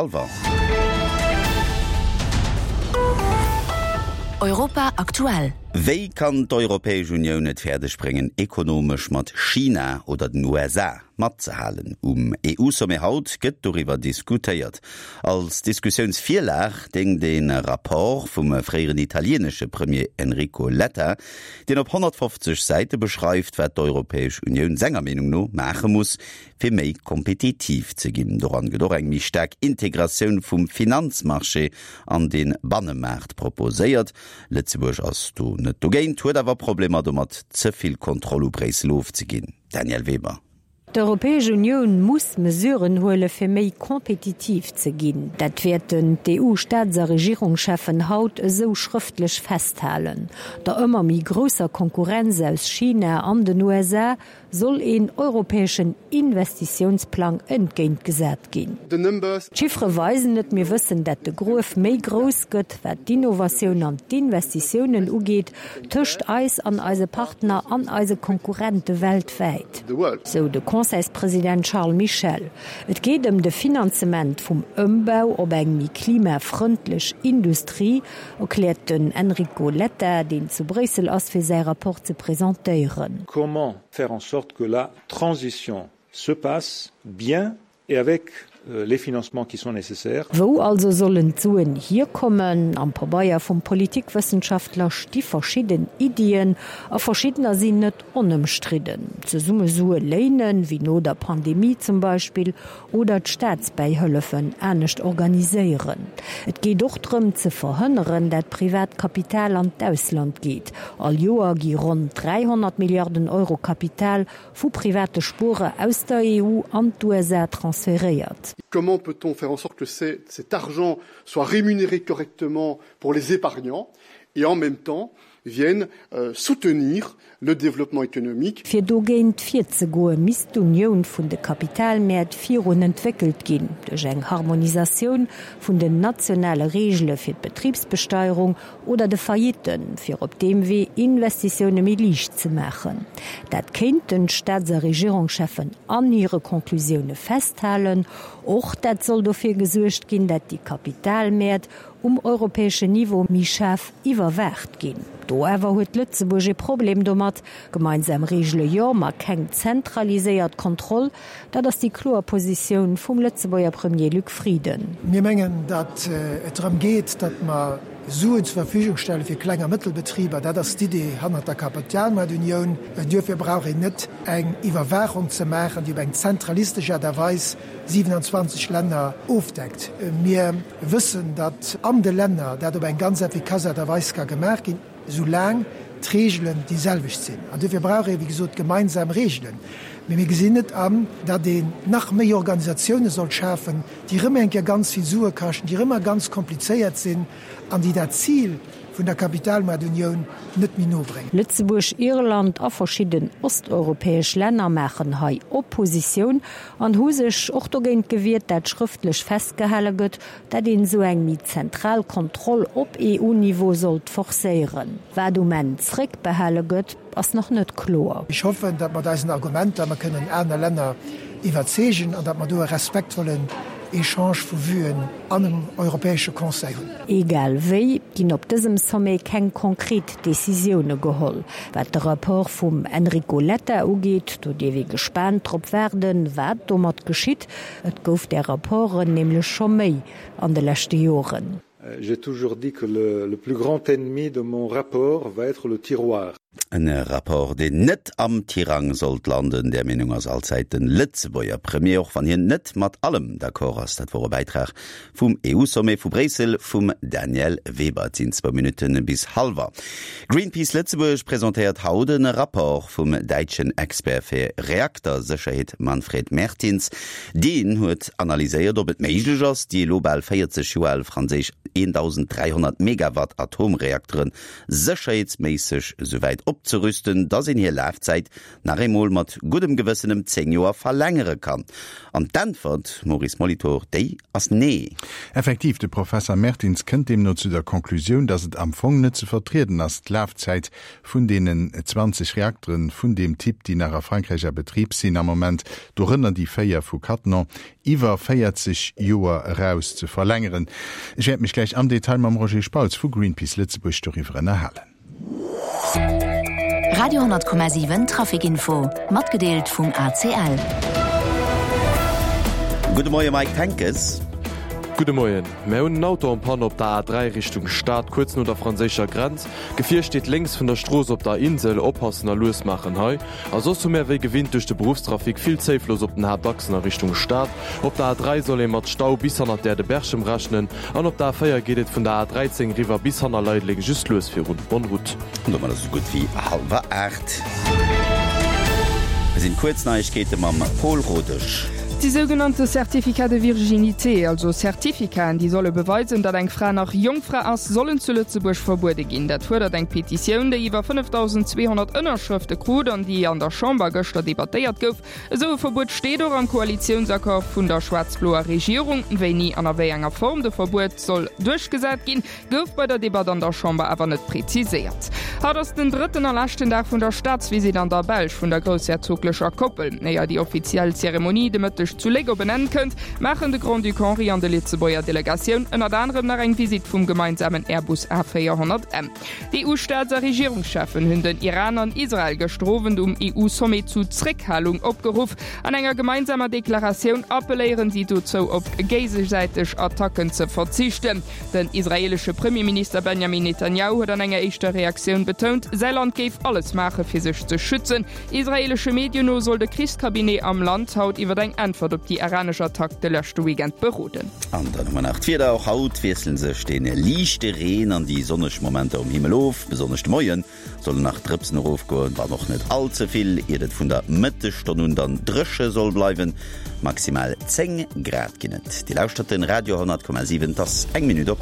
Alwer. Europa aktuell. Wéi kann d'Europäesch Unioun et fäerdeg bréngen, ekonomesch mat China oder den USA matzehalen? Um EU-Sommet haut gëtt doriwwer diskutéiert. Als Diskussiounsvirlag déngt e Rapport vum fréieren italienesche Premier Enrico Letta, deen op 150 Säite beschreift, wat d'Europäesch Unioun senger Meenung no maache muss, fir méi kompetitiv ze ginn. Doran gëtt och eng méi staark Integratioun vum Finanzmarché an de Bannemaart proposéiert. Lëtzebuerg ass do net dogéint, huet awer Problemer domat, ze vill Kontroll u Bréissel ofzeginn. Danièle Weber. D'Europäesch Unioun muss Mesuren huele fir méi kompetitiv ze ginn. Dat wäerten d'EU-Staats a Regierungscheffen haut esou schrëftlech festhalen. Der ëmmer méi grousser Konkurrenz aus China an den USA soll een europäeschen Investitiounsplang entgéintgesat ginn. D'Chiffere weisen et, mir wëssen, dat de Gruef méi grouss gëtt, wat d'Innovatioun an d'Investitiounen ugeet, tëscht eis an eise Partner an eise Konkurrente weltwäit, sou de Conseilspresident Charles Michel. Et geet ëm de Finanzement vum Ëmbau op eng méi klimafrëndlech Industrie, erkläert den Enrico Letta, deen zu Bréissel ass, fir säi Rapport ze presentéieren. Comment faire en sorte que la transition se passe bien et avec les financements qui sont nécessaires? Wou also sollen d'Suen hierkommen? Am Pabeier vum Politikwëssenschaftler sti verschidden Iddien, a verschiddener sinn net onëmstridden. Zesumme Sue léinen, wéi no der Pandemie zum Beispill, oder d'Staatsbäihëllefen anescht organiséieren. Et geet och drëm ze verhënneren, dat privat Kapital an d'Ausland geet. All Joer gi ronn 300 Milliarden Euro Kapital vu private Spuerer aus der EU an d'USA transferéiert. Comment peut-on faire en sorte que cet argent soit rémunéré correctement pour les épargnants et en même temps viennent soutenir le développement économique. Fir dogéint virzegoe misst d'Unioun vun de Kapitalmäert virun entwéckelt ginn, duerch eng Harmonisatioun vun den nationale Reegele fir d'Betribsbesteierung oder de Faillitten, fir op deem Wee Investitioune méi liicht ze maachen. Dat kéinten d'Staats a Regierungscheffen an hire Conclusioune festhalen. Och dat soll dofir gesuergt ginn, dat déi Kapitalmäert um europäeschen Niveau méi schaarf iwwerwaacht ginn. Do awer huet Lëtzebuerg e Problem domat. Gemeinsam Reegele jo, ma keng zentraliséiert Kontroll. Dat ass déi kloer Positioun vum Lëtzebuerger Premier Luc Frieden. Mir mengen, datt et drëm geet, datt mer Suen zur Verfügung stelle fir Kleng a Mëttelbetriber. Dat ass d'Idee hannert der Kapitalmaartunioun. Duerfir brauch een net eng Iwwerwaachung ze maachen, déi op eng zentralistesch Aart a Weis 27 Länner ofdeckt. Mir wëssen, datt an de Länner dat op eng ganz effikass Aart a Weis ka gemaach ginn, soulaang d'Reegelen déi selwecht sinn. An duerfir brauch ee wéi gesot gemeinsam Reegelen. Mee mir gesinn net an, datt een nach méi Organisatioune soll schafen, déi erëm eng Kéier ganz vill Sue kaschten, déi erëm ganz komplizéiert sinn an déi dat Zil, vun der Kapitalmaartunioun net méi no bréngen. Lëtzebuerg, Irland a verschidden osteuropäesch Länner maachen hei Oppositioun an hu sech och dogéint gewiert, dat schrëftlech festgehale gëtt, dat een esou eng méi zentral Kontroll op EU-Niveau sollt forcéieren. Wat um Enn zréckbehale gëtt, ass nach net kloer. Ech hoffen, datt mat eisen Argumenter mer kënnen aner Länner iwwerzeegen an datt mer do e respektvollen Echange vu Vuen an um Europäesche Conseil hunn. Egal wéi, ginn op dësem Sommet keng konkret Decisioune geholl. Wat de Rapport vum Enrico Letta ugeet, do dierf ee gespaant drop waarden, wat domat geschitt. Et gouf där Rapporten nämlech scho méi an de leschte Joren. J'ai toujours dit que le plus grand ennemi de mon rapport va être le tiroir. En Rapport, deen net am Tirang sollt landen, där Meenung ass allzäit den Lëtzebuerger Premier, och wann hien net mat allem d'accord ass. Dat wor e Bäitrag vum EU-Sommet vu Bréissel vum Danièle Weber. Et sinn zwou Minutte bis hallwer. Greenpeace Lëtzebuerg presentéiert haut e Rapport vum däitschen Expert fir Reaktersécherheet Manfred Mertins. Deen huet analyséiert, ob et méiglech ass, déi elo bal 40 Joer al franséisch 1.300 Megawatt Atomreaktere sécherheetsméisseg esouwäit op. opzerüsten, dass een hir Lafzäit nach eemol mat guddem Gewëssen ëm 10 Joer verlängere kann? An d'Äntwert, Maurice Molitor, déi ass nee. Effektiv, de Professer Mertins kënnt deemno zu der Conclusioun, datt et am Fong net ze vertrieden ass, d'Lafzäit vun deenen 20 Reakteren vun deem Typ, déi nach a Frankräich a Betrib sinn am Moment, dorënner déi 4 vu Cattenom, iwwer 40 Joer eraus ze verlängeren. Ech wäert mech gläich am Detail mam Roger Spautz vu Greenpeace Lëtzebuerg doriwwer ënnerhalen. Radio 10,7 Traficinfo matgedeelt vum ACL. Gudde Moie Mike Henckes. Gudde Moien. Mär hunn en Auto en Panne op der A3 Richtung Stad, kuerz no der franséischer Grenz. D'Gefier steet lénks vun der Strooss op der Insel. Oppassen a lues maachen hei. A soss hu mär wéi gewinnt duerch de Beruffstrafic vill Zéifloss op den Haaptachsen a Richtung Stad. Op der A3 soll ee mat Stau bis hannert d'Äerdeberchem rechnen an op der A4 geet et vun der A13 riwwer bis hanner Leideleng just lues virun. Bonne route. An domat ass et esou gutt wéi hallwer 8. Hei sinn d'kuerz Neiegkeete mam Pol Rodesch. Déi sougenannte Certificats de virginité, also Certificaten, déi solle beweisen, datt eng Fra nach Jongfra ass, sollen zu Lëtzebuerg verbuede ginn. Dat fuerdert eng Petitioun, déi iwwer 5.200 Ënnerschrëfte krut an déi an der Chamber gëschter debattéiert gouf. Esou e Verbuet steet och am Koalitiounsaccord vun der schwaarz-bloer Regierung. Wéini an a wéi enger Form de Verbuet soll duerchgesat ginn, Gouf bei der Debatt an der Chamber awer net präziséiert. Haut ass den drëtten a leschten Dag vun der Staatsvisitt an der Belsch vun der groussherzoglecher Koppel. Éier déi offiziell Zeremonie de Mëtteg zu Léck op en Enn kënnt, maachen de Grand-Duc Henri an de Lëtzebuerger Delegatioun ënnert anerem nach eng Visitt vum gemeinsamen Airbus A400M. D'EU-Staats a Regierungscheffen hunn den Iran an Israel gëschter Owend um EU-Sommet zu Zréckhalung opgeruff. An enger gemeinsamer Deklaratioun appelléieren si dozou, op géigesäiteg Attacken ze verzichten. Den israeelesche Premierminister Benjamin Netanjahu huet an enger éischter Reaktioun betount, säi Land géif alles maache fir sech ze schützen. Israeelesche Medien no soll de Krichscabinet am Land haut iwwer eng Äntwert op déi iranesch Attack de leschte Weekend beroden. An dann hu mer nach d'Wieder, Och haut wiessele sech dee liichte Reen an déi sonneg Momenter um Himmel of. Besonnesch de Moie sollen nach Drëpsen erofgoen, wann och net all ze vill, iert et vun der Mëttesstonn un dann dréche soll bleiwen. Maximal 10 Grad ginn et. Dir lauschtert den Radio 10,7, et ass eng Minutt op.